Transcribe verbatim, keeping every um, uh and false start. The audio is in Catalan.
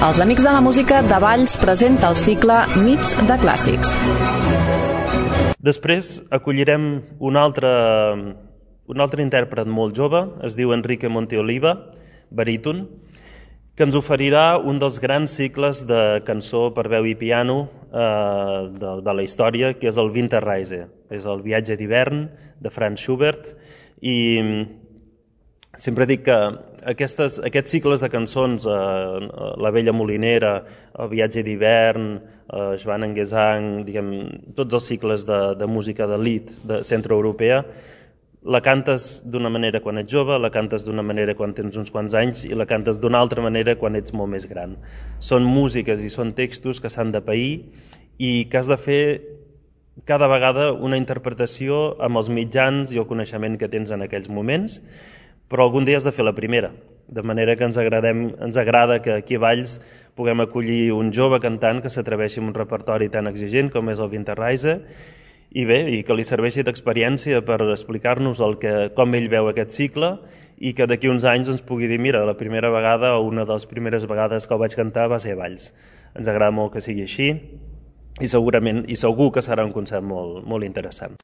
Els Amics de la Música de Valls presenta el cicle Nits de Clàssics. Després acollirem un altre, un altre intèrpret molt jove, es diu Enrique Monteoliva, baríton, que ens oferirà un dels grans cicles de cançó per veu i piano eh, de, de la història, que és el Winterreise. És el viatge d'hivern de Franz Schubert, i sempre dic que aquestes, aquests cicles de cançons, eh, La vella molinera, El viatge d'hivern, eh, Joan en Gesang, diguem, tots els cicles de, de música d'elit de centroeuropea, la cantes d'una manera quan ets jove, la cantes d'una manera quan tens uns quants anys i la cantes d'una altra manera quan ets molt més gran. Són músiques i són textos que s'han de pair i que has de fer cada vegada una interpretació amb els mitjans i el coneixement que tens en aquells moments, però algun dia has de fer la primera, de manera que ens, agradem, ens agrada que aquí a Valls puguem acollir un jove cantant que s'atreveixi amb un repertori tan exigent com és el Winterreise, i bé, i que li serveixi d'experiència per explicar-nos el que, com ell veu aquest cicle i que d'aquí uns anys ens pugui dir, mira, la primera vegada o una de les primeres vegades que el vaig cantar va ser a Valls. Ens agrada molt que sigui així i segurament i segur que serà un concert molt, molt interessant.